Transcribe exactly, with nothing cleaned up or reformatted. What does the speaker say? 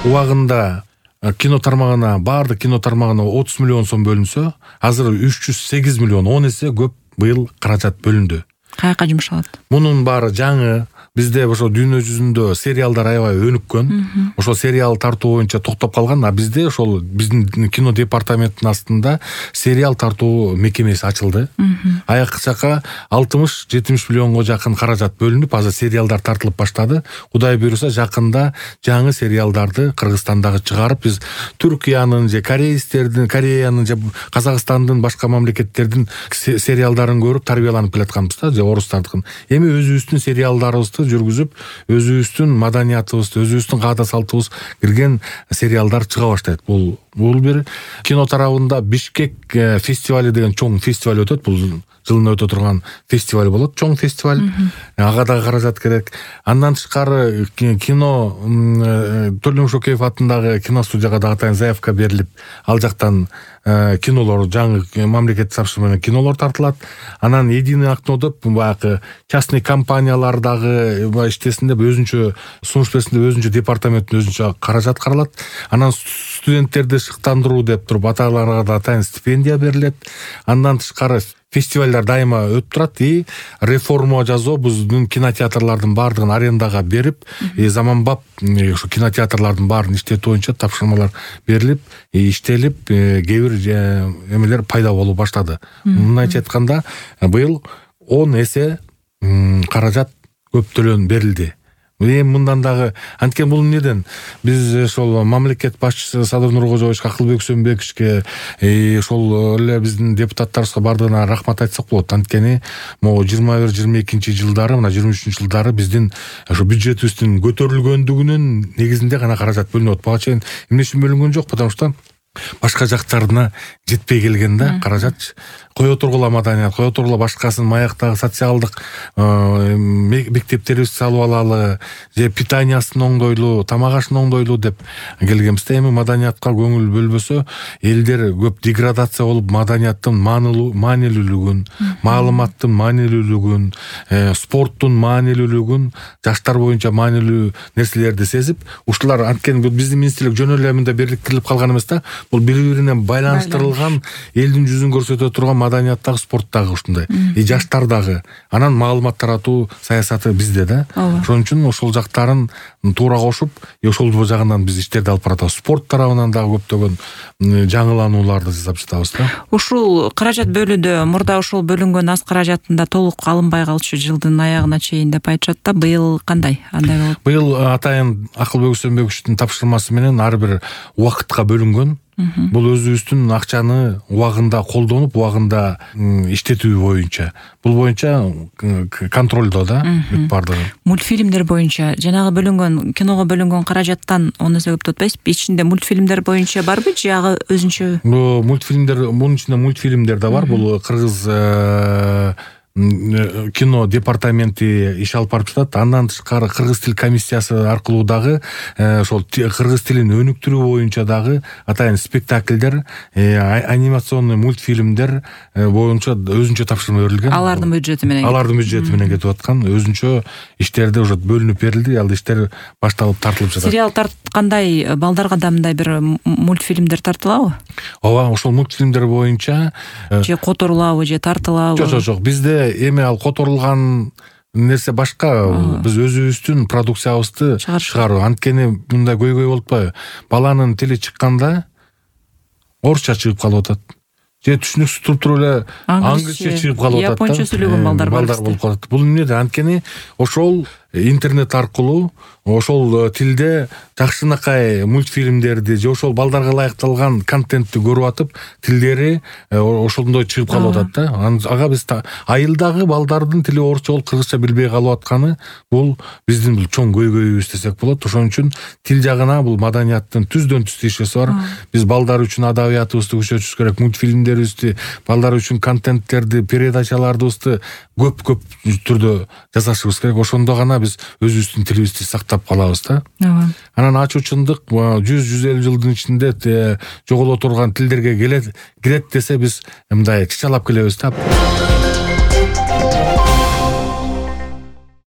убагында кино тармагына, баардык кино тармагына отуз миллион сом бөлүнсө, азыр үч жүз сегиз миллион, он эсе көп быйыл каражат бөлүндү. Каяка жумшалат? Мунун баары жаңы. Бизде ошо дүйнө жүзүндө сериалдар аябай өнүккөн. Ошо сериал тартуу боюнча токтоп калган, а бизде ошол биздин кино департаментинин астында сериал тартуу мекемеси ачылды. Аякчака алтымыш жетимиш миллионго жакын каражат бөлүнүп, азыр сериалдар тартылып баштады. Кудай буйруса, жакында жаңы сериалдарды Кыргызстандагы чыгарып, биз Түркиянын же корейстердин, Кореянын же Казакстандын, башка мамлекеттердин сериалдарын көрүп тарбияланып келатканбыз да, же орустардыкын. Эми өзүбүздүн сериалдарыбызды жүргүзүп, өзүбүздүн маданиятыбызды, өзүбүздүн каада салтыбыз кирген сериалдар чыга баштайт. Бул бул бир кино тарабында Бишкек фестивали деген чоң фестиваль өтөт. Бул жылына өтө турган фестиваль болот, чоң фестиваль. Ага дагы каражат керек. Андан тышкары кино Төлөм Шокеев атындагы киностудияга дагы атайын заявка берилип, ал жактан кинолор, жаңы мамлекет сапшы менен кинолор тартылат. Анан Единый окно деп баягы частный компаниялар дагы иштесин деп өзүнчө сунуш берсин деп өзүнчө департаменттин өзүнчө каражат каралат. Анан студенттерди шыктандыруу деп туруп аталарга да атайын стипендия берилет. Андан тышкары фестивалдар дайыма өтүп турат. И реформа жасоо биздин кинотеатрлардын баардыгын арендага берип, заманбап ушу кинотеатрлардын баарын иштетүү боюнча тапшырмалар берилип, иштелип, кээ бир эмелер пайда болуп баштады. Мындайча айтканда, быйыл он эсе каражат көптөлөн берилди. Эми мындан дагы анткени бул эмнеден биз ошол мамлекет башчысы Садыр Нуркожоевичке, Акылбек Сөмбековичке, ошол эле биздин депутаттарыбызга бардыгына рахмат айтсак болот. Анткени могу жыйырма бир жыйырма экинчи жылдары, мына жыйырма үчүнчү жылдары биздин ошо бюджетибиздин көтөрүлгөндүгүнүн негизинде гана каражат бөлүнөт. Бага чейин эмне үчүн бөлүнгөн жок, потому что башка жактарына жетпей келген да каражат. Кое тургула маданият, кое тургула башкасын, маяктагы социалдык мектептерибизди салып алалы, же питаниясын оңдойлу, тамак ашын оңдойлу деп келгенбиз. Эми маданиятка көңүл бөлбөсө, элдер көп деградация болуп, маданияттын маанилүүлүгүн, маалыматтын маанилүүлүгүн, спорттун маанилүүлүгүн, жаштар боюнча маанилүү нерселерди сезип, ушулар анткени биздин министрлик жөн эле мындай бириктирип калган эмес да. Бул бири-бирине байланыштырылган, элдин жүзүн көрсөтө турган маданияттагы, спорттагы ушундай. И жаштардагы. Анан маалымат таратуу саясаты бизде да. Ошон үчүн ошол жактарын туура кошуп, ошол жагынан биз иштерди алып баратабыз. Спорт тарабынан дагы көптөгөн жаңыланууларды жасап жатабыз да. Ушул каражат бөлүүдө мурда ошол бөлүнгөн аз каражатында толук алынбай калчу жылдын аягына чейин деп айтышат да. Быйыл кандай? Андай болот? Быйыл атайын Акылбек Сөмбековичтин тапшырмасы менен ар бир убакытка бөлүнгөн. Бул өзүбүздүн акчаны убагында колдонуп, убагында иштетүү боюнча. Бул боюнча контролдо да бардыгы. Мультфильмдер боюнча жанагы бөлүнгөн, киного бөлүнгөн каражаттан он эсе көп атпайсызбы? Ичинде мультфильмдер боюнча барбы же ага өзүнчө? Бул мультфильмдер, мунун ичинде мультфильмдер да бар. Бул кыргыз кино департаменти иш алып барып жатат. Андан тышкары кыргыз тил комиссиясы аркылуу дагы ошол кыргыз тилин өнүктүрүү боюнча дагы атайын спектакльдер, анимационный мультфильмдер боюнча өзүнчө тапшырма берилген. Алардын бюджети менен. Алардын бюджети менен кетип аткан өзүнчө иштерди уже бөлүнүп берилди. Ал иштер башталып тартылып жатат. Сериал тарткандай балдарга да мындай бир мультфильмдер тартылабы? Ооба, ошол мультфильмдер боюнча же которулабы, же тартылабы? Жок, жок, жок. Бизде эми ал которулган нерсе башка. Биз өзүбүздүн продукциябызды чыгаруу. Анткени мындай көйгөй болуп атпайбы? Баланын тили чыкканда орусча чыгып калып атат. Же түшүнүксүз туруп туруп эле англисче чыгып калып атат. Японча сүйлөгөн балдар бар. Балдар болуп калат. Бул эмне? Анткени ошол интернет аркылуу ошол тилде жакшынакай мультфильмдерди же ошол балдарга ылайыкталган контентти көрүп атып, тилдери ошондой чыгып калып атат да. Ага биз айылдагы балдардын тили орусча болуп кыргызча билбей калып атканы бул биздин бул чоң көйгөйүбүз десек болот. Ошон үчүн тил жагына бул маданияттын түздөн түз тиешеси бар. Биз балдар үчүн адабиятыбызды күчөтүшүбүз керек, мультфильмдерибизди, балдар үчүн контенттерди, передачалардыбызды көп-көп түрдө жасашыбыз керек. Ошондо гана биз өзүбүздүн тилибизди сактап калабыз да. Анан ачуучундук жүз жүз элүү жылдын ичинде жоголо турган тилдерге келет, кирет десе биз мындай чычалап келебиз да.